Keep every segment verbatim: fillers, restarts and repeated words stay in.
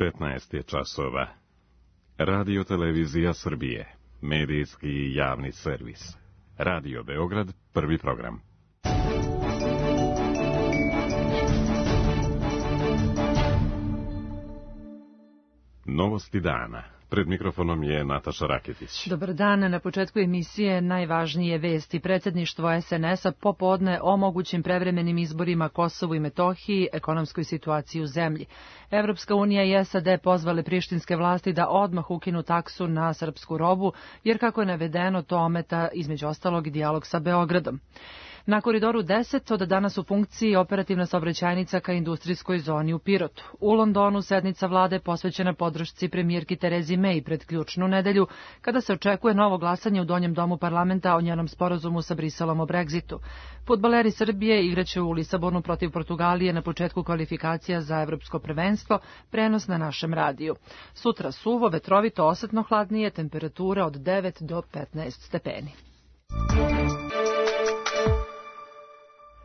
petnaest je časova. Radio Televizija Srbije, medijski i javni servis. Radio Beograd, prvi program. Novosti dana. Pred mikrofonom je Nataša Raketić. Dobar dan. Na početku emisije najvažnije vesti. Predsjedništvo es en es a popodne o mogućim prevremenim izborima Kosovu i Metohiji, ekonomskoj situaciji u zemlji. Evropska unija i es a de pozvale prištinske vlasti da odmah ukinu taksu na srpsku robu, jer kako je navedeno to ometa između ostalog i dijalog sa Beogradom. Na Koridoru deset od danas u funkciji operativna saobraćajnica ka industrijskoj zoni u Pirotu. U Londonu sednica vlade posvećena podršci premijerki Terezi May pred ključnu nedelju, kada se očekuje novo glasanje u Donjem domu parlamenta o njenom sporazumu sa Briselom o Brexitu. Fudbaleri Srbije igraće u Lisabonu protiv Portugalije na početku kvalifikacija za evropsko prvenstvo, prenos na našem radiju. Sutra suvo, vetrovito, osetno hladnije, temperatura od devet do petnaest stepeni.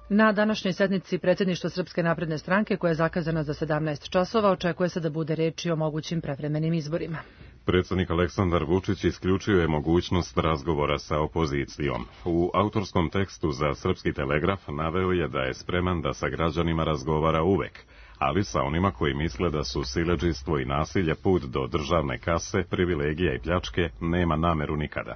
Na današnjoj sednici predsjedništva Srpske napredne stranke, koja je zakazana za sedamnaest časova, očekuje se da bude reči o mogućim prevremenim izborima. Predsjednik Aleksandar Vučić isključio je mogućnost razgovora sa opozicijom. U autorskom tekstu za Srpski telegraf naveo je da je spreman da sa građanima razgovara uvek, ali sa onima koji misle da su siledžijstvo i nasilje put do državne kase, privilegija i pljačke nema nameru nikada.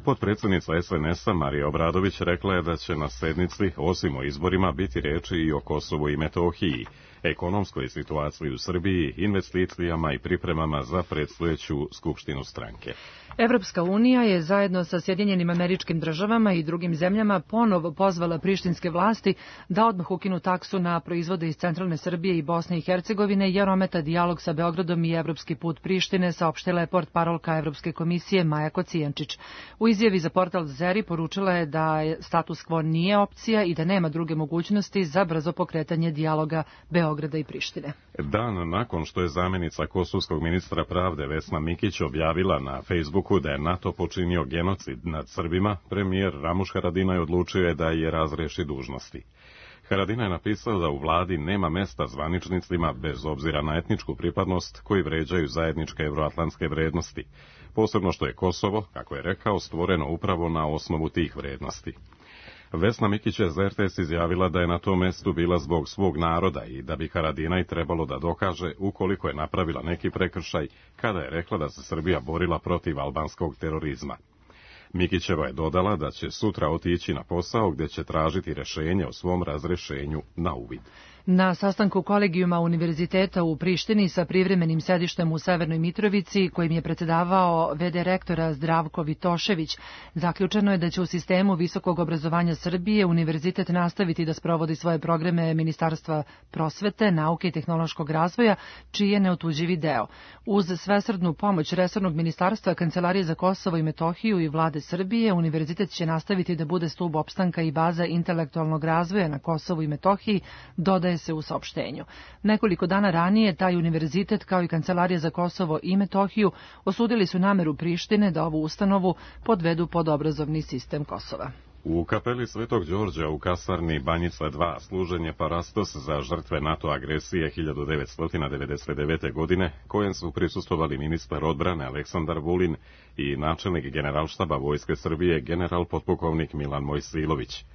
Potpredsjednica es en es a Marija Obradović rekla je da će na sednici, osim o izborima, biti reči i o Kosovu i Metohiji, ekonomskoj situaciji u Srbiji, investicijama i pripremama za predstojeću skupštinu stranke. Evropska unija je zajedno sa Sjedinjenim Američkim Državama i drugim zemljama ponovo pozvala prištinske vlasti da odmah ukinu taksu na proizvode iz centralne Srbije i Bosne i Hercegovine, jer ometa dijalog sa Beogradom i evropski put Prištine, saopštila je portparolka Evropske komisije Maja Kocijančić. U izjavi za portal Zeri poručila je da status quo nije opcija i da nema druge mogućnosti za brzo pokretanje dijaloga Beograda i Prištine. Dan nakon što je zamjenica kosovskog ministra pravde Vesna Mikić objavila na Facebooku da je NATO počinio genocid nad Srbima, premijer Ramuš Haradinaj odlučio da je razreši dužnosti. Haradinaj je napisao da u vladi nema mesta zvaničnicima bez obzira na etničku pripadnost koji vređaju zajedničke evroatlantske vrednosti, posebno što je Kosovo, kako je rekao, stvoreno upravo na osnovu tih vrednosti. Vesna Mikić je za er te es izjavila da je na tom mestu bila zbog svog naroda i da bi Haradinaj trebalo da dokaže ukoliko je napravila neki prekršaj kada je rekla da se Srbija borila protiv albanskog terorizma. Mikićeva je dodala da će sutra otići na posao gdje će tražiti rješenje o svom razrešenju na uvid. Na sastanku kolegijuma Univerziteta u Prištini sa privremenim sedištem u Severnoj Mitrovici, kojim je predsjedavao ve de rektora Zdravko Vitošević, zaključeno je da će u sistemu visokog obrazovanja Srbije univerzitet nastaviti da sprovodi svoje programe Ministarstva prosvete, nauke i tehnološkog razvoja, čiji je neotuđivi deo. Uz svesrdnu pomoć resornog ministarstva, Kancelarije za Kosovo i Metohiju i vlade Srbije, univerzitet će nastaviti da bude stub opstanka i baza intelektualnog razvoja na Kosovu i Metohiji, dodaje se u saopštenju. Nekoliko dana ranije taj univerzitet kao i Kancelarija za Kosovo i Metohiju osudili su nameru Prištine da ovu ustanovu podvedu pod obrazovni sistem Kosova. U kapeli Svetog Đorđa u kasarni Banjica dva služen je parastos za žrtve NATO agresije hiljadu devetsto devedeset devete. godine, kojem su prisustvovali ministar odbrane Aleksandar Vulin i načelnik Generalštaba Vojske Srbije general potpukovnik Milan Mojsilović.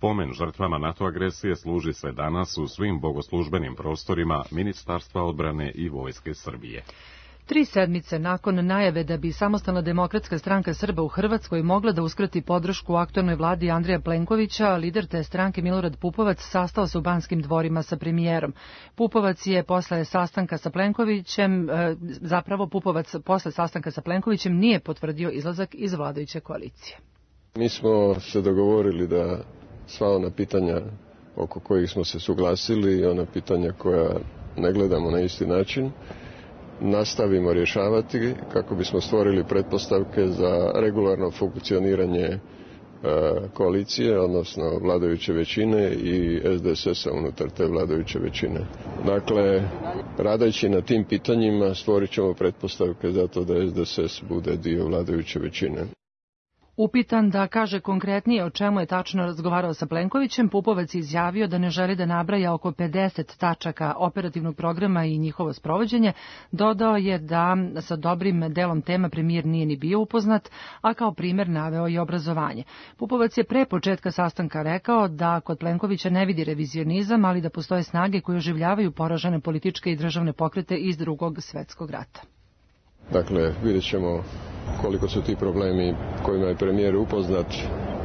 Pomen žrtvama NATO agresije služi se danas u svim bogoslužbenim prostorima Ministarstva odbrane i Vojske Srbije. Tri sedmice nakon najave da bi Samostalna demokratska stranka Srba u Hrvatskoj mogla da uskrati podršku u aktualnoj vladi Andreja Plenkovića, lider te stranke Milorad Pupovac sastao se u Banskim dvorima sa premijerom. Pupovac je posle sastanka sa Plenkovićem, zapravo Pupovac posle sastanka sa Plenkovićem nije potvrdio izlazak iz vladajuće koalicije. Mi smo se dogovorili da sva ona pitanja oko kojih smo se suglasili i ona pitanja koja ne gledamo na isti način nastavimo rješavati kako bismo stvorili pretpostavke za regularno funkcioniranje koalicije, odnosno vladajuće većine i es de es es a unutar te vladajuće većine. Dakle, radeći na tim pitanjima stvorit ćemo pretpostavke za to da es de es es bude dio vladajuće većine. Upitan da kaže konkretnije o čemu je tačno razgovarao sa Plenkovićem, Pupovac je izjavio da ne želi da nabraja oko pedeset tačaka operativnog programa i njihovo sprovođenje. Dodao je da sa dobrim delom tema premijer nije ni bio upoznat, a kao primer naveo i obrazovanje. Pupovac je pre početka sastanka rekao da kod Plenkovića ne vidi revizionizam, ali da postoje snage koje oživljavaju poražene političke i državne pokrete iz Drugog svetskog rata. Dakle, vidjet ćemo koliko su ti problemi kojima je premijer upoznat,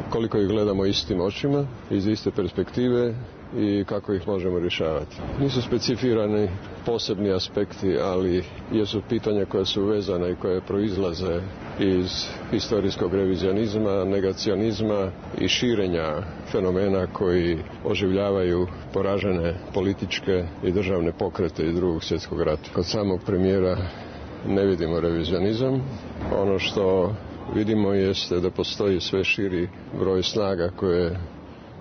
koliko ih gledamo istim očima, iz iste perspektive i kako ih možemo rješavati. Nisu specifirani posebni aspekti, ali jesu pitanja koja su vezana i koje proizlaze iz historijskog revizionizma, negacionizma i širenja fenomena koji oživljavaju poražene političke i državne pokrete iz Drugog svjetskog rata. Kod samog premijera ne vidimo revizionizam. Ono što vidimo jeste da postoji sve širi broj snaga koje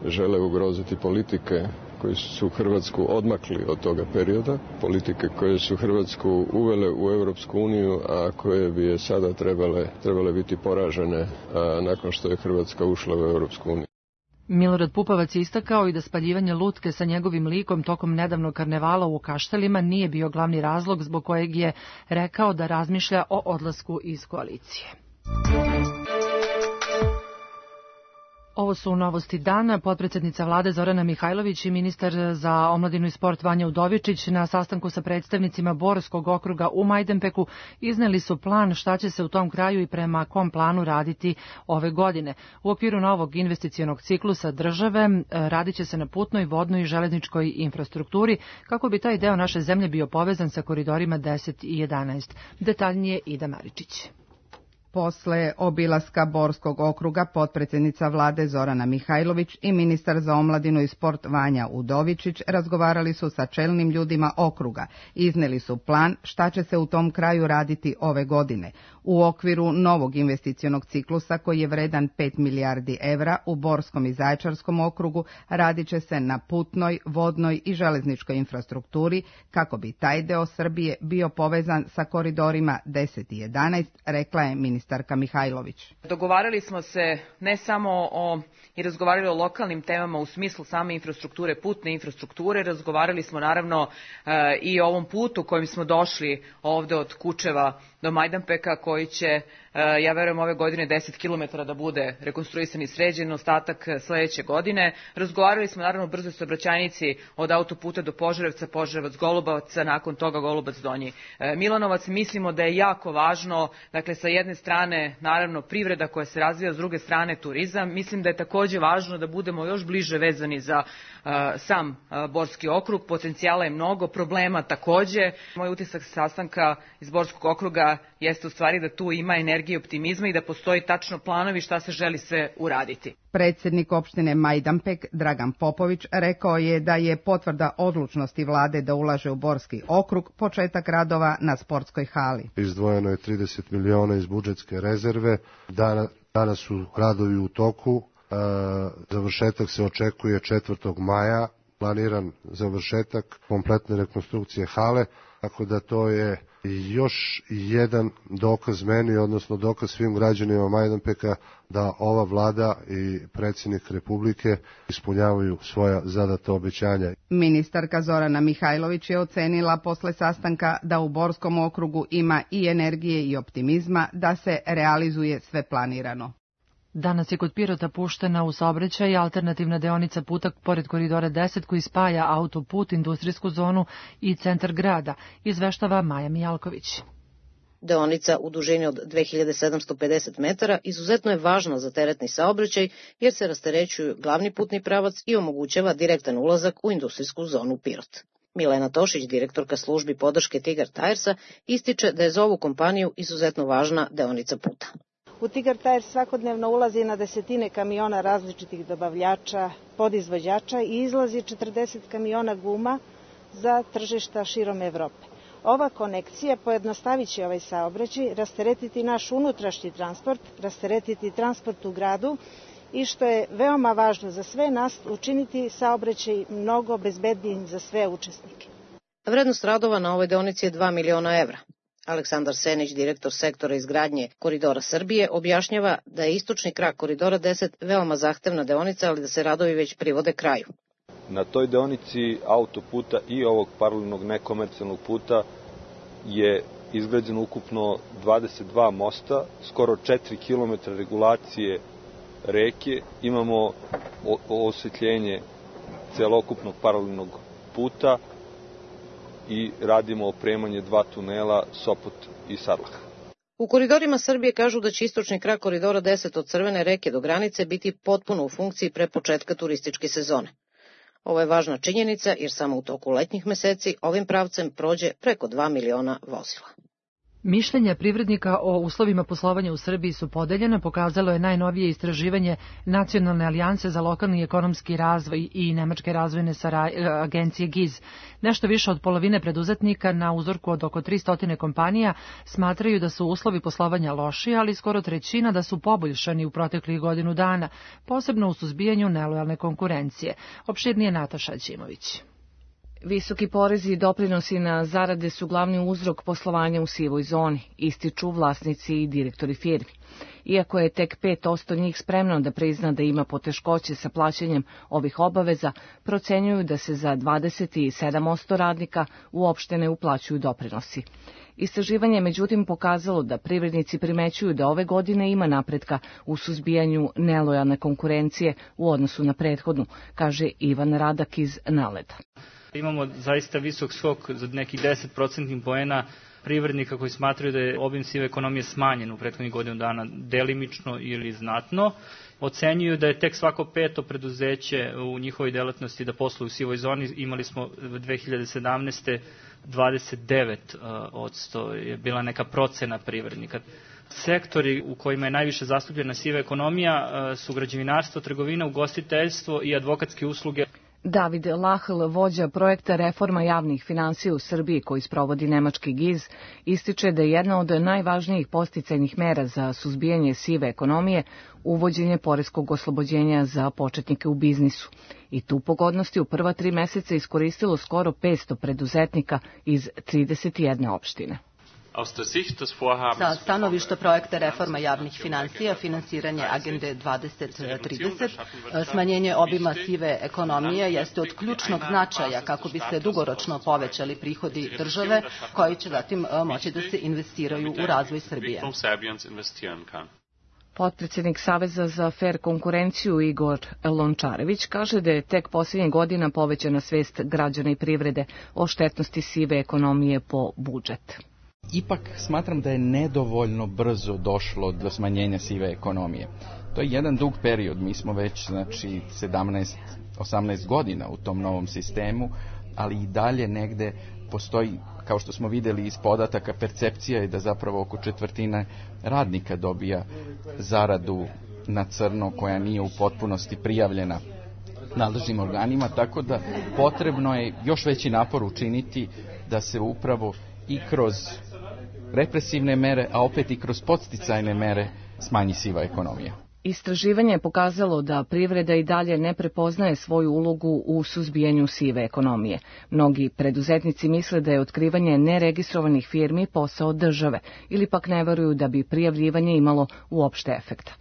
žele ugroziti politike koji su Hrvatsku odmakli od toga perioda, politike koje su Hrvatsku uvele u Europsku uniju, a koje bi je sada trebale, trebale biti poražene a, nakon što je Hrvatska ušla u Europsku uniju. Milorad Pupovac je istakao i da spaljivanje lutke sa njegovim likom tokom nedavnog karnevala u Kaštelima nije bio glavni razlog zbog kojeg je rekao da razmišlja o odlasku iz koalicije. Ovo su novosti dana. Potpredsednica vlade Zorana Mihajlović i ministar za omladinu i sport Vanja Udovičić na sastanku sa predstavnicima Borskog okruga u Majdanpeku izneli su plan šta će se u tom kraju i prema kom planu raditi ove godine. U okviru novog investicionog ciklusa države radit će se na putnoj, vodnoj i železničkoj infrastrukturi kako bi taj deo naše zemlje bio povezan sa koridorima deset i jedanaest. Detaljnije Ida Maričić. Posle obilaska Borskog okruga, potpredsjednica vlade Zorana Mihajlović i ministar za omladinu i sport Vanja Udovičić razgovarali su sa čelnim ljudima okruga. Izneli su plan šta će se u tom kraju raditi ove godine. U okviru novog investicionog ciklusa koji je vredan pet milijardi evra u Borskom i Zaječarskom okrugu radit će se na putnoj, vodnoj i železničkoj infrastrukturi kako bi taj deo Srbije bio povezan sa koridorima deset i jedanaest, rekla je ministarka Mihajlović. Dogovarali smo se ne samo o i razgovarali o lokalnim temama u smislu same infrastrukture, putne infrastrukture, razgovarali smo naravno e, i o ovom putu kojim smo došli ovde od Kučeva do Majdanpeka, koji će, e, ja verujem, ove godine deset kilometara da bude rekonstruisan i sređen, ostatak sledeće godine. Razgovarali smo naravno o brzoj saobraćajnici od autoputa do Požarevca, Požarevac-Golubac, nakon toga Golubac-Donji e, Milanovac. Mislimo da je jako važno, dakle, sa jedne strane naravno privreda koja se razvija, s druge strane turizam. Mislim da je takođe važno da budemo još bliže vezani za uh, sam uh, Borski okrug. Potencijala je mnogo, problema takođe. Moj utisak sastanka iz Borskog okruga jeste u stvari da tu ima energije i optimizma i da postoji tačno planovi šta se želi sve uraditi. Predsjednik opštine Majdanpek Dragan Popović rekao je da je potvrda odlučnosti vlade da ulaže u Borski okrug početak radova na sportskoj hali. Izdvojeno je trideset miliona iz budžetske rezerve. Dana, danas su radovi u toku. E, završetak se očekuje četvrtog maja. Planiran završetak kompletne rekonstrukcije hale, tako da to je još jedan dokaz meni, odnosno dokaz svim građanima Majdanpeka da ova vlada i predsjednik Republike ispunjavaju svoja zadata obećanja. Ministarka Zorana Mihajlović je ocenila posle sastanka da u Borskom okrugu ima i energije i optimizma da se realizuje sve planirano. Danas je kod Pirota puštena u saobraćaj alternativna deonica puta pored koridora deset koji spaja autoput, industrijsku zonu i centar grada, izveštava Maja Mijalković. Deonica u dužini od dve hiljade sedamsto pedeset metara izuzetno je važna za teretni saobraćaj jer se rasterećuju glavni putni pravac i omogućava direktan ulazak u industrijsku zonu Pirot. Milena Tošić, direktorka službi podrške Tigar Tiresa, ističe da je za ovu kompaniju izuzetno važna deonica puta. U Tigar Tires svakodnevno ulazi na desetine kamiona različitih dobavljača, podizvođača i izlazi četrdeset kamiona guma za tržišta širom Evrope. Ova konekcija pojednostavit će ovaj saobraćaj, rasteretiti naš unutrašnji transport, rasteretiti transport u gradu i, što je veoma važno za sve nas, učiniti saobraćaj mnogo bezbednijim za sve učesnike. Vrednost radova na ovoj deonici je dva miliona evra. Aleksandar Senić, direktor sektora izgradnje Koridora Srbije, objašnjava da je istočni krak Koridora deset veoma zahtevna deonica, ali da se radovi već privode kraju. Na toj deonici autoputa i ovog paralelnog nekomercijalnog puta je izgrađeno ukupno dvadeset dva mosta, skoro četiri kilometra regulacije reke, imamo osvetljenje celokupnog paralelnog puta i radimo opremanje dva tunela Sopot i Sarlah. U koridorima Srbije kažu da će istočni krak Koridora deset od Crvene reke do granice biti potpuno u funkciji pre početka turističke sezone. Ovo je važna činjenica jer samo u toku letnjih meseci ovim pravcem prođe preko dva miliona vozila. Mišljenja privrednika o uslovima poslovanja u Srbiji su podeljena, pokazalo je najnovije istraživanje Nacionalne alijanse za lokalni ekonomski razvoj i Nemačke razvojne agencije G I Z. Nešto više od polovine preduzetnika na uzorku od oko tristo kompanija smatraju da su uslovi poslovanja loši, ali skoro trećina da su poboljšani u proteklih godinu dana, posebno u suzbijanju nelojalne konkurencije. Opširnije Nataša Ćimović. Visoki porezi i doprinosi na zarade su glavni uzrok poslovanja u sivoj zoni, ističu vlasnici i direktori firmi. Iako je tek pet posto njih spremno da prizna da ima poteškoće sa plaćanjem ovih obaveza, procenjuju da se za dvadeset sedam posto radnika uopšte ne uplaćuju doprinosi. Istraživanje je međutim pokazalo da privrednici primećuju da ove godine ima napretka u suzbijanju nelojalne konkurencije u odnosu na prethodnu, kaže Ivan Radak iz Naleda. Imamo zaista visok skok za nekih deset procentnih poena privrednika koji smatraju da je obim sive ekonomije smanjen u prethodnih godinu dana delimično ili znatno. Ocenjuju da je tek svako peto preduzeće u njihovoj delatnosti da posluju u sivoj zoni. Imali smo dve hiljade sedamnaeste. dvadeset devet posto je bila neka procena privrednika. Sektori u kojima je najviše zastupljena siva ekonomija su građevinarstvo, trgovina, ugostiteljstvo i advokatske usluge. David Lahl, vođa projekta Reforma javnih finansija u Srbiji koji sprovodi nemački G I Z, ističe da je jedna od najvažnijih podsticajnih mera za suzbijanje sive ekonomije uvođenje poreskog oslobođenja za početnike u biznisu. I tu pogodnosti u prva tri meseca iskoristilo skoro petsto preduzetnika iz trideset jedne opštine. Sa stanovišta projekta Reforma javnih finansija, finansiranje Agende dvadeset trideset, smanjenje obima sive ekonomije jeste od ključnog značaja kako bi se dugoročno povećali prihodi države koji će zatim moći da se investiraju u razvoj Srbije. Potpredsjednik Saveza za fer konkurenciju Igor Lončarević kaže da je tek posljednjih godina povećana svest građana i privrede o štetnosti sive ekonomije po budžet. Ipak smatram da je nedovoljno brzo došlo do smanjenja sive ekonomije. To je jedan dug period, mi smo već znači sedamnaest osamnaest godina u tom novom sistemu, ali i dalje negde postoji, kao što smo vidjeli iz podataka, percepcija je da zapravo oko četvrtina radnika dobija zaradu na crno koja nije u potpunosti prijavljena nadležnim organima, tako da potrebno je još veći napor učiniti da se upravo i kroz represivne mere, a opet i kroz podsticajne mere smanji siva ekonomija. Istraživanje je pokazalo da privreda i dalje ne prepoznaje svoju ulogu u suzbijanju sive ekonomije. Mnogi preduzetnici misle da je otkrivanje neregistrovanih firmi posao države ili pak ne veruju da bi prijavljivanje imalo uopšte efekta.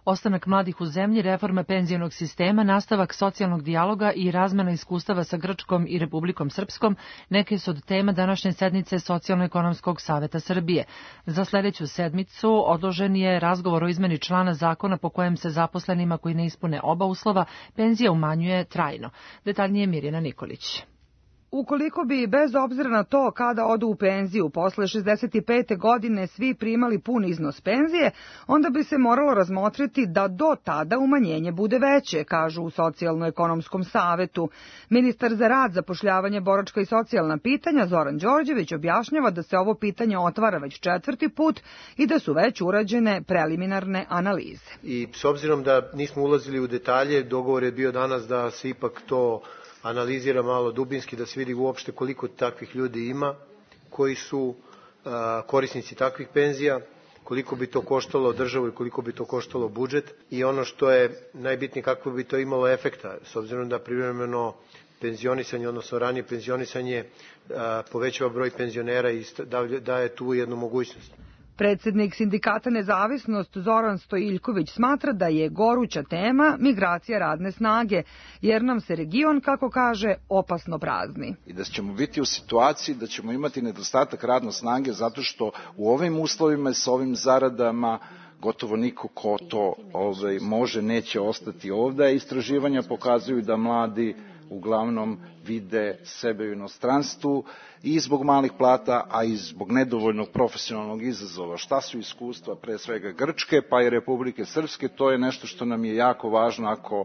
Ostanak mladih u zemlji, reforma penzionog sistema, nastavak socijalnog dijaloga i razmena iskustava sa Grčkom i Republikom Srpskom neke su od tema današnje sednice Socijalno-ekonomskog saveta Srbije. Za sljedeću sedmicu odložen je razgovor o izmeni člana zakona po kojem se zaposlenima koji ne ispune oba uslova penzija umanjuje trajno. Detaljnije Mirjana Nikolić. Ukoliko bi, bez obzira na to kada odu u penziju, posle šezdeset pete godine svi primali pun iznos penzije, onda bi se moralo razmotriti da do tada umanjenje bude veće, kažu u Socijalno-ekonomskom savetu. Ministar za rad, zapošljavanje, boračka i socijalna pitanja Zoran Đorđević objašnjava da se ovo pitanje otvara već četvrti put i da su već urađene preliminarne analize. I s obzirom da nismo ulazili u detalje, dogovor je bio danas da se ipak to analizira malo dubinski, da se vidi uopšte koliko takvih ljudi ima koji su a, korisnici takvih penzija, koliko bi to koštalo državu i koliko bi to koštalo budžet i ono što je najbitnije kako bi to imalo efekta, s obzirom da privremeno penzionisanje, odnosno ranije penzionisanje, povećava broj penzionera i daje tu jednu mogućnost. Predsednik Sindikata Nezavisnost Zoran Stojiljković smatra da je goruća tema migracija radne snage, jer nam se region, kako kaže, opasno prazni. I da ćemo biti u situaciji da ćemo imati nedostatak radne snage zato što u ovim uslovima s ovim zaradama gotovo niko ko to ovaj, može, neće ostati ovde. Istraživanja pokazuju da mladi uglavnom vide sebe u inostranstvu i zbog malih plata, a i zbog nedovoljnog profesionalnog izazova. Šta su iskustva pre svega Grčke, pa i Republike Srpske, to je nešto što nam je jako važno ako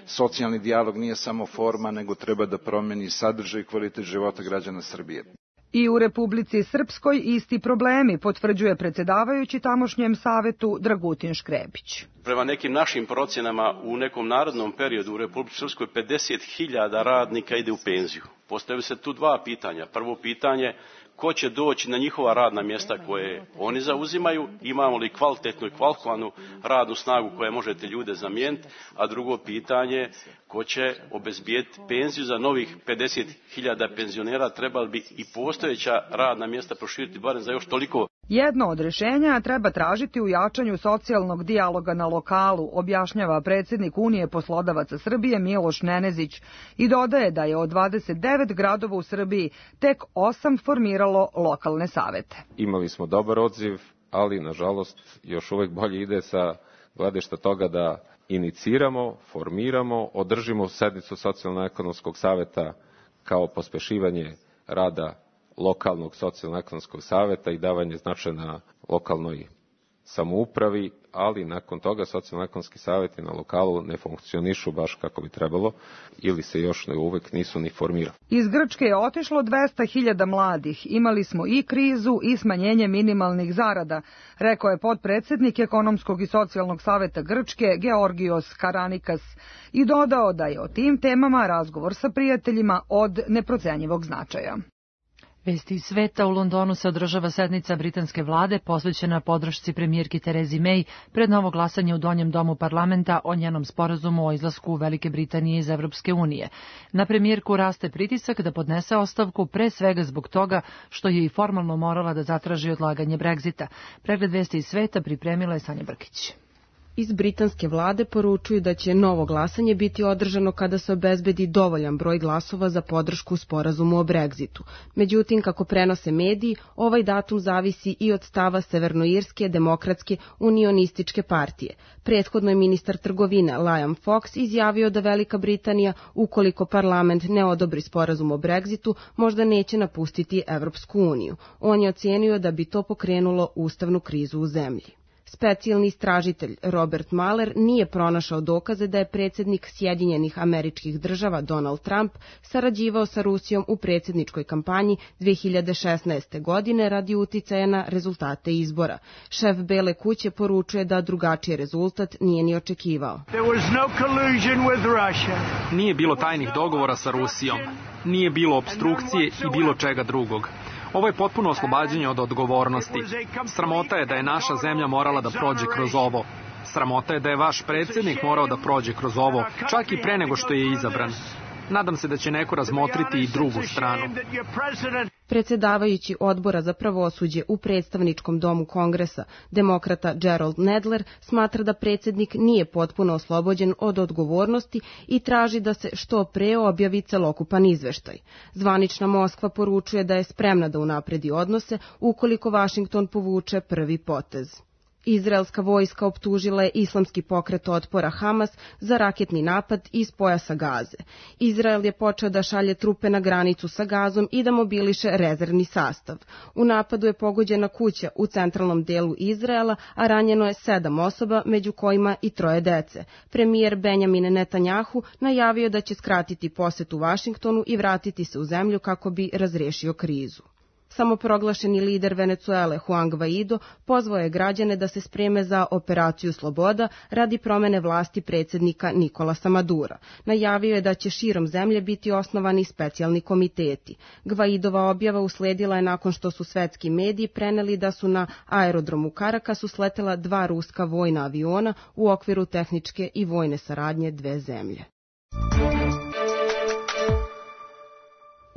socijalni dijalog nije samo forma, nego treba da promeni sadržaj i kvalitet života građana Srbije. I u Republici Srpskoj isti problemi, potvrđuje predsedavajući tamošnjem savetu Dragutin Škrebić. Prema nekim našim procjenama u nekom narodnom periodu u Republici Srpskoj pedeset hiljada radnika ide u penziju. Postavljaju se tu dva pitanja. Prvo pitanje, ko će doći na njihova radna mjesta koje oni zauzimaju, imamo li kvalitetnu i kvalifikovanu radnu snagu koja možete ljude zamijeniti, a drugo pitanje, ko će obezbijeti penziju za novih pedeset hiljada penzionera, trebali bi i postojeća radna mjesta proširiti barem za još toliko. Jedno od rješenja treba tražiti u jačanju socijalnog dijaloga na lokalu, objašnjava predsjednik Unije poslodavaca Srbije Miloš Nenezić i dodaje da je od dvadeset devet gradova u Srbiji tek osam formiralo lokalne savete. Imali smo dobar odziv, ali nažalost još uvek bolje ide sa gledišta toga da iniciramo, formiramo, održimo sednicu socijalno-ekonomskog saveta kao pospešivanje rada lokalnog socijalno-ekonomskog saveta i davanje značaja na lokalnoj samoupravi, ali nakon toga socijalno-ekonomski saveti na lokalu ne funkcionišu baš kako bi trebalo ili se još ne uvek nisu ni formirali. Iz Grčke je otišlo dvesta hiljada mladih. Imali smo i krizu i smanjenje minimalnih zarada, rekao je potpredsednik Ekonomskog i socijalnog saveta Grčke Georgios Karanikas i dodao da je o tim temama razgovor sa prijateljima od neprocenjivog značaja. Vesti iz sveta, u Londonu se održava sednica britanske vlade posvećena podršci premijerki Terezi May pred novo glasanje u Donjem domu parlamenta o njenom sporazumu o izlasku Velike Britanije iz Evropske unije. Na premijerku raste pritisak da podnese ostavku, pre svega zbog toga što je i formalno morala da zatraži odlaganje Brexita. Pregled vesti iz sveta pripremila je Sanja Brkić. Iz britanske vlade poručuju da će novo glasanje biti održano kada se obezbedi dovoljan broj glasova za podršku sporazumu o Brexitu. Međutim, kako prenose mediji, ovaj datum zavisi i od stava Severnoirske demokratske unionističke partije. Prethodno je ministar trgovine Liam Fox izjavio da Velika Britanija, ukoliko parlament ne odobri sporazum o Brexitu, možda neće napustiti Evropsku uniju. On je ocenio da bi to pokrenulo ustavnu krizu u zemlji. Specijalni istražitelj Robert Mueller nije pronašao dokaze da je predsjednik Sjedinjenih Američkih Država Donald Trump sarađivao sa Rusijom u predsjedničkoj kampanji dve hiljade šesnaeste. godine radi uticaja na rezultate izbora. Šef Bele kuće poručuje da drugačiji rezultat nije ni očekivao. Nije bilo tajnih dogovora sa Rusijom, nije bilo opstrukcije i bilo čega drugog. Ovo je potpuno oslobađanje od odgovornosti. Sramota je da je naša zemlja morala da prođe kroz ovo. Sramota je da je vaš predsjednik morao da prođe kroz ovo, čak i pre nego što je izabran. Nadam se da će neko razmotriti i drugu stranu. Predsjedavajući odbora za pravosuđe u predstavničkom domu Kongresa, demokrata Gerald Nadler, smatra da predsjednik nije potpuno oslobođen od odgovornosti i traži da se što pre objavi celokupan izveštaj. Zvanična Moskva poručuje da je spremna da unapredi odnose ukoliko Vašington povuče prvi potez. Izraelska vojska optužila je islamski pokret otpora Hamas za raketni napad iz pojasa Gaze. Izrael je počeo da šalje trupe na granicu sa Gazom i da mobiliše rezervni sastav. U napadu je pogođena kuća u centralnom delu Izraela, a ranjeno je sedam osoba, među kojima i troje dece. Premijer Benjamin Netanjahu najavio da će skratiti posetu Vašingtonu i vratiti se u zemlju kako bi razriješio krizu. Samoproglašeni lider Venecuele Juan Guaido pozvao je građane da se spreme za operaciju Sloboda radi promene vlasti predsjednika Nikolasa Madura. Najavio je da će širom zemlje biti osnovani specijalni komiteti. Guaidova objava usledila je nakon što su svetski mediji preneli da su na aerodromu Karakasu sletela dva ruska vojna aviona u okviru tehničke i vojne saradnje dve zemlje.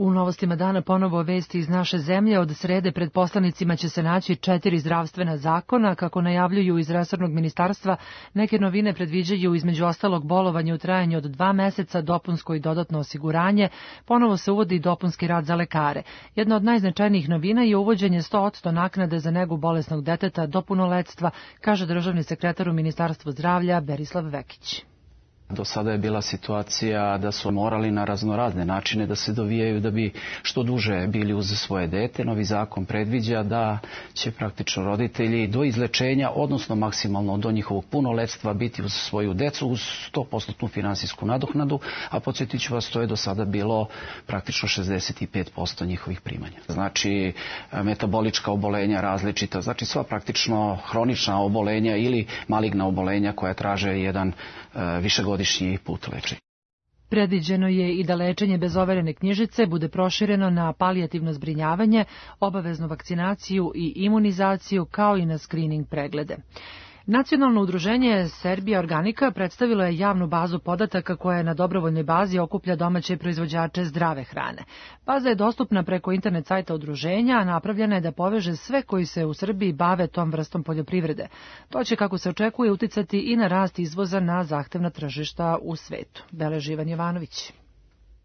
U novostima dana ponovo vesti iz naše zemlje. Od srede pred poslanicima će se naći četiri zdravstvena zakona. Kako najavljuju iz resornog ministarstva, neke novine predviđaju između ostalog bolovanje u trajanju od dva meseca, dopunsko i dodatno osiguranje. Ponovo se uvodi dopunski rad za lekare. Jedna od najznačajnijih novina je uvođenje sto posto naknade za negu bolesnog deteta do punoletstva, kaže državni sekretar u Ministarstvu zdravlja Berislav Vekić. Do sada je bila situacija da su morali na raznorazne načine da se dovijaju da bi što duže bili uz svoje dete. Novi zakon predviđa da će praktično roditelji do izlečenja, odnosno maksimalno do njihovog punoletstva, biti uz svoju decu uz sto posto finansijsku nadoknadu, a podsjetit ću vas, to je do sada bilo praktično šezdeset pet posto njihovih primanja. Znači, metabolička obolenja različita, znači sva praktično hronična obolenja ili maligna obolenja koja traže jedan višegodišnji put lečenja. Predviđeno je i da lečenje bez overene knjižice bude prošireno na palijativno zbrinjavanje, obaveznu vakcinaciju i imunizaciju, kao i na skrining preglede. Nacionalno udruženje Serbija Organika predstavilo je javnu bazu podataka koja je na dobrovoljnoj bazi okuplja domaće proizvođače zdrave hrane. Baza je dostupna preko internet sajta udruženja, a napravljena je da poveže sve koji se u Srbiji bave tom vrstom poljoprivrede. To će, kako se očekuje, uticati i na rast izvoza na zahtevna tržišta u svetu. Beleži Ivan Jovanović.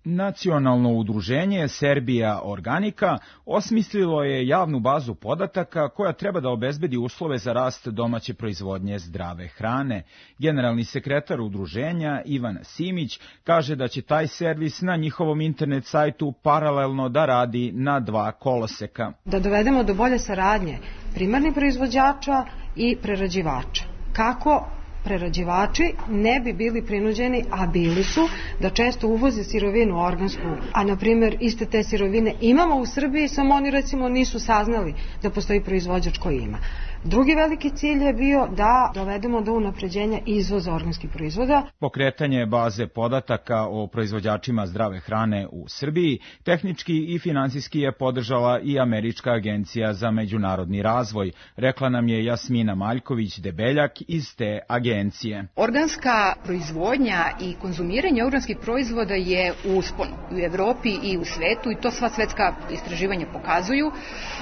Nacionalno udruženje Serbija Organika osmislilo je javnu bazu podataka koja treba da obezbedi uslove za rast domaće proizvodnje zdrave hrane. Generalni sekretar udruženja Ivan Simić kaže da će taj servis na njihovom internet sajtu paralelno da radi na dva koloseka. Da dovedemo do bolje saradnje primarnih proizvođača i prerađivača. Kako prerađivači ne bi bili prinuđeni, a bili su, da često uvoze sirovinu organsku, a na primjer iste te sirovine imamo u Srbiji, samo oni recimo nisu saznali da postoji proizvođač koji ima. Drugi veliki cilj je bio da dovedemo do unapređenja izvoza organskih proizvoda. Pokretanje baze podataka o proizvođačima zdrave hrane u Srbiji tehnički i finansijski je podržala i Američka agencija za međunarodni razvoj, rekla nam je Jasmina Maljković-Debeljak iz te agencije. Organska proizvodnja i konzumiranje organskih proizvoda je u usponu u Evropi i u svetu i to sva svetska istraživanja pokazuju.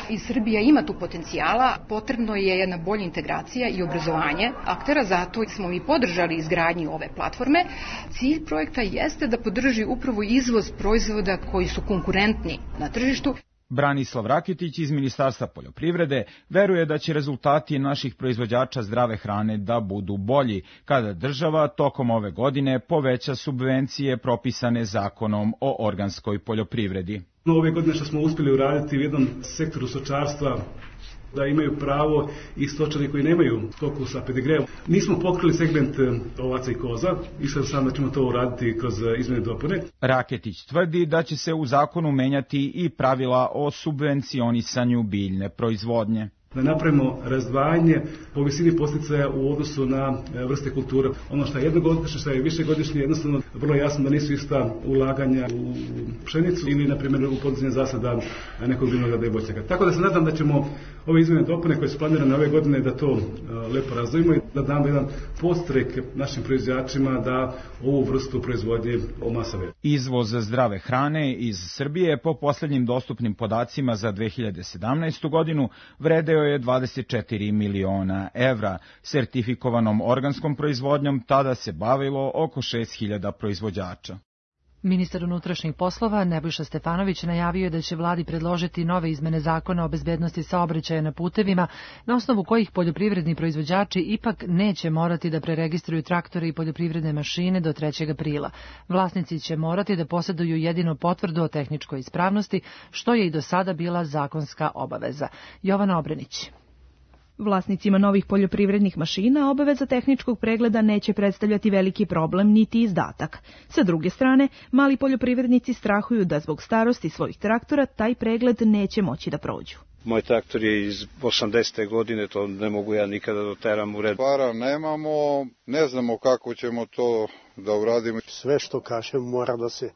I Srbija ima tu potencijala, potrebno je jedna bolja integracija i obrazovanje aktera, zato smo mi podržali izgradnju ove platforme. Cilj projekta jeste da podrži upravo izvoz proizvoda koji su konkurentni na tržištu. Branislav Rakitić iz Ministarstva poljoprivrede veruje da će rezultati naših proizvođača zdrave hrane da budu bolji kada država tokom ove godine poveća subvencije propisane zakonom o organskoj poljoprivredi. Ove godine što smo uspjeli uraditi u jednom sektoru stočarstva, da imaju pravo i stočari koji nemaju stoku sa pedigreom. Nismo pokrili segment ovaca i koza, išao sam da ćemo to uraditi kroz izmjene i dopune. Raketić tvrdi da će se u zakonu menjati i pravila o subvencionisanju biljne proizvodnje. Da napravimo razdvajanje po visini podsticaja u odnosu na vrste kultura. Ono što je jednogodišnje, što je višegodišnje, jednostavno vrlo jasno da nisu ista ulaganja u pšenicu ili, na primjer, u podizanje zasada nekog vinograda i voćnjaka. Tako da se nadam da ćemo ove izmjene dopune koje su planirane ove godine da to lepo razvijemo i da damo jedan podstrek našim proizvođačima da ovu vrstu proizvodnje omasave. Izvoz zdrave hrane iz Srbije po posljednjim dostupnim podacima za dve hiljade sedamnaestu godinu vredeo je dvadeset četiri miliona evra. Sertifikovanom organskom proizvodnjom tada se bavilo oko šest hiljada proizvođača. Ministar unutrašnjih poslova Nebojša Stefanović najavio je da će vladi predložiti nove izmene zakona o bezbednosti saobraćaja na putevima, na osnovu kojih poljoprivredni proizvođači ipak neće morati da preregistruju traktore i poljoprivredne mašine do trećeg aprila. Vlasnici će morati da posjeduju jedino potvrdu o tehničkoj ispravnosti, što je i do sada bila zakonska obaveza. Jovana Obrenić. Vlasnicima novih poljoprivrednih mašina obaveza tehničkog pregleda neće predstavljati veliki problem niti izdatak. Sa druge strane, mali poljoprivrednici strahuju da zbog starosti svojih traktora taj pregled neće moći da prođu. Moj traktor je iz osamdesete godine, to ne mogu ja nikada doteram u red. Para nemamo, ne znamo kako ćemo to da uradimo. Sve što kažem mora da se,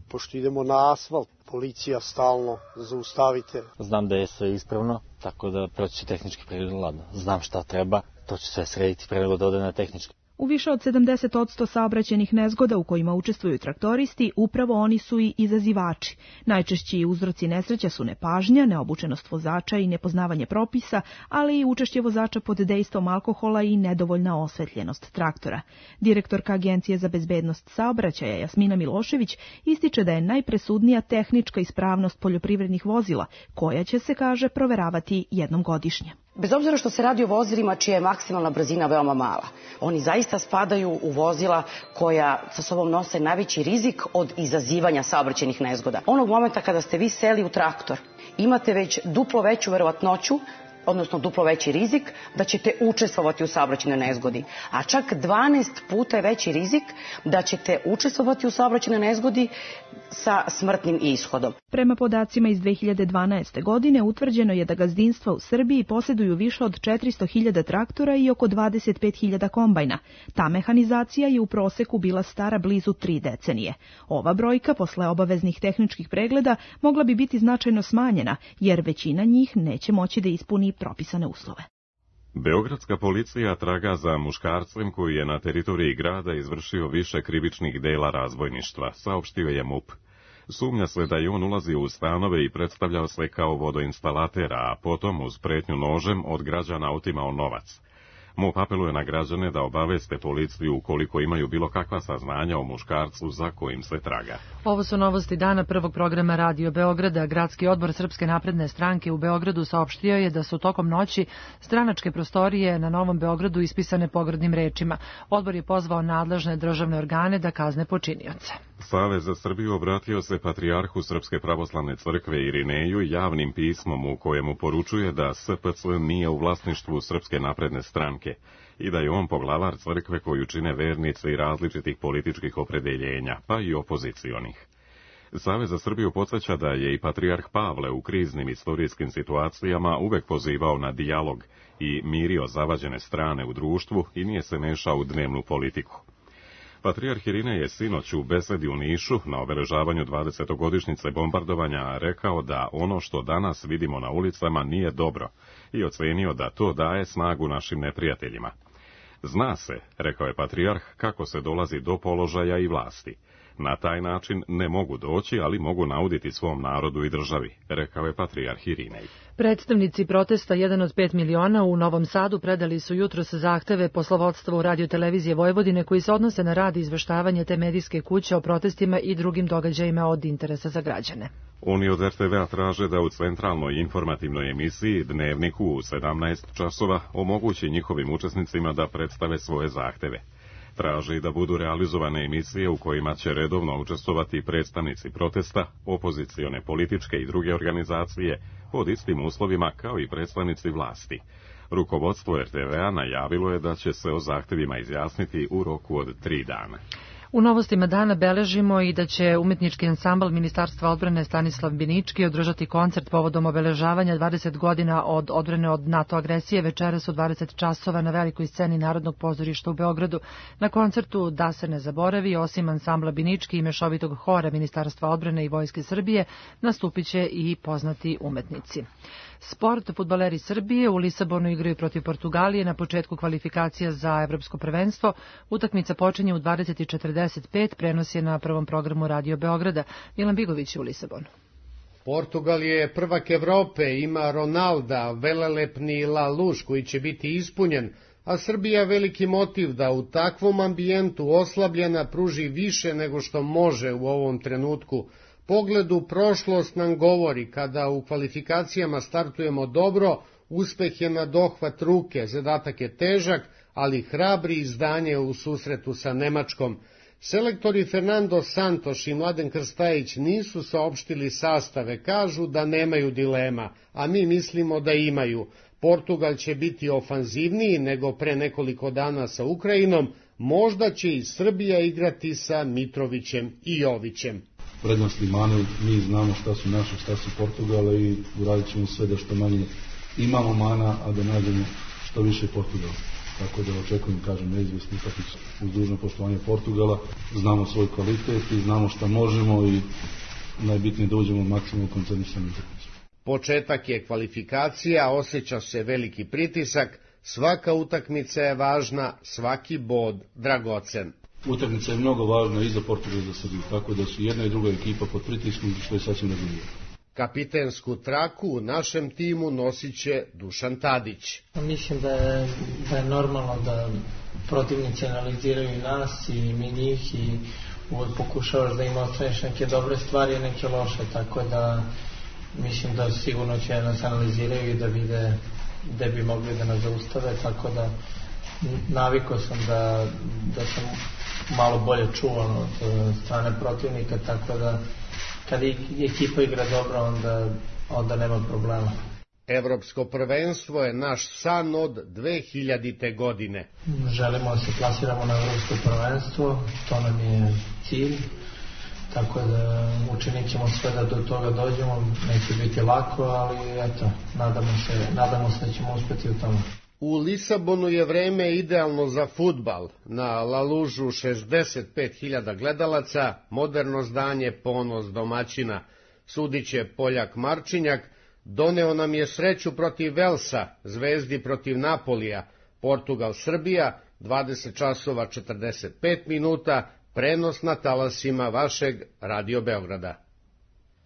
pošto idemo na asfalt, policija stalno zaustavite. Znam da je sve ispravno, tako da proći će tehnički pregled ladno. Znam šta treba, to će sve srediti pre nego da ode na tehnički. U više od sedamdeset posto saobraćajnih nezgoda u kojima učestvuju traktoristi, upravo oni su i izazivači. Najčešći uzroci nesreća su nepažnja, neobučenost vozača i nepoznavanje propisa, ali i učešće vozača pod dejstvom alkohola i nedovoljna osvetljenost traktora. Direktorka Agencije za bezbednost saobraćaja Jasmina Milošević ističe da je najpresudnija tehnička ispravnost poljoprivrednih vozila, koja će se, kaže, proveravati jednom godišnje. Bez obzira što se radi o vozilima čija je maksimalna brzina veoma mala, oni zaista spadaju u vozila koja sa sobom nose najveći rizik od izazivanja saobraćajnih nezgoda. Onog momenta kada ste vi seli u traktor, imate već duplo veću verovatnoću, odnosno duplo veći rizik, da ćete učestvovati u saobraćajnoj nezgodi. A čak dvanaest puta je veći rizik da ćete učestvovati u saobraćajnoj nezgodi sa smrtnim ishodom. Prema podacima iz dve hiljade dvanaeste. godine utvrđeno je da gazdinstva u Srbiji posjeduju više od četiristo hiljada traktora i oko dvadeset pet hiljada kombajna. Ta mehanizacija je u proseku bila stara blizu tri decenije. Ova brojka, posle obaveznih tehničkih pregleda, mogla bi biti značajno smanjena, jer većina njih neće moći da ispuni propisane uslove. Beogradska policija traga za muškarcem koji je na teritoriji grada izvršio više krivičnih dela razbojništva, saopštio je MUP. Sumnja se da je on ulazio u stanove i predstavljao se kao vodoinstalater, a potom uz pretnju nožem od građana otimao novac. MUP apeluje na građane da obaveste policiju ukoliko imaju bilo kakva saznanja o muškarcu za kojim se traga. Ovo su novosti dana prvog programa Radio Beograda. Gradski odbor Srpske napredne stranke u Beogradu saopštio je da su tokom noći stranačke prostorije na Novom Beogradu ispisane pogrdnim rečima. Odbor je pozvao nadležne državne organe da kazne počinioce. Savez za Srbiju obratio se patrijarhu Srpske pravoslavne crkve Irineju javnim pismom u kojemu poručuje da S P C nije u vlasništvu Srpske napredne stranke i da je on poglavar crkve koju čine vernici različitih političkih opredeljenja, pa i opozicionih. Savez za Srbiju podsjeća da je i patrijarh Pavle u kriznim istorijskim situacijama uvek pozivao na dijalog i mirio zavađene strane u društvu i nije se mešao u dnevnu politiku. Patrijarh Irinej je sinoć u besedi u Nišu na obeležavanju dvadesetogodišnjice bombardovanja rekao da ono što danas vidimo na ulicama nije dobro i ocenio da to daje snagu našim neprijateljima. Zna se, rekao je patrijarh, kako se dolazi do položaja i vlasti. Na taj način ne mogu doći, ali mogu nauditi svom narodu i državi, rekao je patrijarh Irinej. Predstavnici protesta jedan od pet miliona u Novom Sadu predali su jutros zahteve poslovodstvu Radio-televizije Vojvodine koji se odnose na rad i izveštavanje te medijske kuće o protestima i drugim događajima od interesa za građane. Oni od R T V-a traže da u centralnoj informativnoj emisiji Dnevniku u sedamnaest časova omogući njihovim učesnicima da predstave svoje zahteve. Traže i da budu realizovane emisije u kojima će redovno učestvovati predstavnici protesta, opozicione političke i druge organizacije pod istim uslovima kao i predstavnici vlasti. Rukovodstvo R T V-a najavilo je da će se o zahtevima izjasniti u roku od tri dana. U novostima dana beležimo i da će umetnički ansambl Ministarstva odbrane Stanislav Binički održati koncert povodom obeležavanja dvadeset godina od odbrane od NATO agresije večeras u dvadeset časova na velikoj sceni Narodnog pozorišta u Beogradu. Na koncertu Da se ne zaboravi, osim ansambla Binički i mešovitog hora Ministarstva odbrane i Vojske Srbije, nastupit će i poznati umetnici. Sport, fudbaleri Srbije u Lisabonu igraju protiv Portugalije na početku kvalifikacija za evropsko prvenstvo. Utakmica počinje u dvadeset četrdeset pet, prenos je na prvom programu Radio Beograda. Milan Bigović u Lisabonu. Portugal je prvak Evrope, ima Ronalda, velelepni La Luš koji će biti ispunjen, a Srbija veliki motiv da u takvom ambijentu oslabljena pruži više nego što može u ovom trenutku. Pogled u prošlost nam govori, kada u kvalifikacijama startujemo dobro, uspeh je na dohvat ruke, zadatak je težak, ali hrabri izdanje u susretu sa Nemačkom. Selektori Fernando Santos i Mladen Krstajić nisu saopštili sastave, kažu da nemaju dilema, a mi mislimo da imaju. Portugal će biti ofanzivniji nego pre nekoliko dana sa Ukrajinom, možda će i Srbija igrati sa Mitrovićem i Jovićem. Prednosti mane, mi znamo šta su naše, šta su Portugala i uradit ćemo sve da što manje imamo mana, a da nađemo što više Portugala. Tako da očekujem, kažem, neizvesnu utakmicu uz dužno poštovanje Portugala. Znamo svoj kvalitet i znamo šta možemo i najbitnije da uđemo maksimalno koncentrisanim utakmicom. Početak je kvalifikacija, osjeća se veliki pritisak, Svaka utakmica je važna, svaki bod dragocen. Utakmica je mnogo važna i za Portugal i za Srbiju, tako da su jedna i druga ekipa pod pritiskom, što je sasvim razumljivo. Kapitensku traku u našem timu nosit će Dušan Tadić. Mislim da je, da je normalno da protivnici analiziraju i nas i mi njih i uvijek pokušavaš da im ostaneš neke dobre stvari i neke loše, tako da mislim da sigurno će nas analiziraju i da vide gde bi mogli da nas zaustave, tako da navikao sam da, da sam malo bolje čuvan od strane protivnika, tako da kad ekipa igra dobro, onda, onda nema problema. Evropsko prvenstvo je naš san od dve hiljadite. godine. Želimo da se plasiramo na evropsko prvenstvo, to nam je cilj, tako da učinit ćemo sve da do toga dođemo, neće biti lako, ali eto, nadamo se, nadamo se da ćemo uspeti u tome. U Lisabonu je vreme idealno za fudbal. Na La Lužu šezdeset pet hiljada gledalaca, moderno zdanje, ponos domaćina. Sudiće Poljak Marčinjak, doneo nam je sreću protiv Velsa, Zvezdi protiv Napolija, Portugal-Srbija, dvadeset časova četrdeset pet minuta, prenos na talasima vašeg Radio Beograda.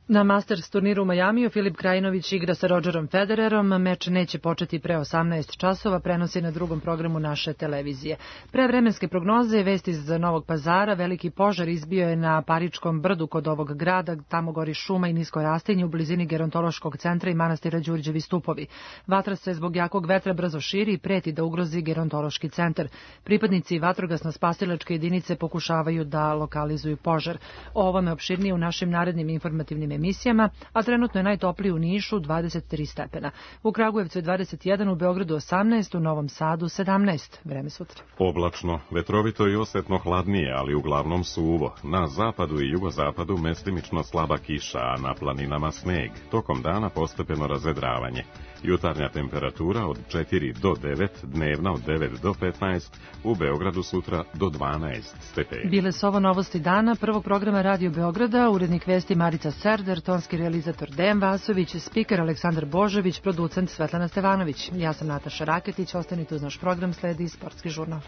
Na Masters turniru u Majamiju Filip Krajinović igra sa Rodgerom Federerom. Meč neće početi pre osamnaest časova, prenosi na drugom programu naše televizije. Pre vremenske prognoze, vesti iz Novog Pazara, veliki požar izbio je na Paričkom brdu kod ovog grada, tamo gori šuma i nisko rastinje u blizini gerontološkog centra i manastira Đurđevi stupovi. Vatra se zbog jakog vetra brzo širi i preti da ugrozi gerontološki centar. Pripadnici vatrogasno-spasilačke jedinice pokušavaju da lokalizuju požar. O ovome opširnije u našim narednim informativnim emisijama, a trenutno je najtopliji u Nišu dvadeset tri stepena. U Kragujevcu je dvadeset jedan, u Beogradu osamnaest, u Novom Sadu sedamnaest. Vreme sutra. Oblačno, vetrovito i osetno hladnije, ali uglavnom suvo. Na zapadu i jugozapadu mestimično slaba kiša, a na planinama sneg. Tokom dana postepeno razvedravanje. Jutarnja temperatura od četiri do devet, dnevna od devet do petnaest, u Beogradu sutra do dvanaest stepeni. Bile su ovo novosti dana prvog programa Radio Beograda, urednik vesti Marica Serder, tonski realizator Dejan Vasović, spiker Aleksandar Božović, producent Svetlana Stevanović. Ja sam Nataša Raketić, ostanite uz naš program, sledi Sportski žurnal.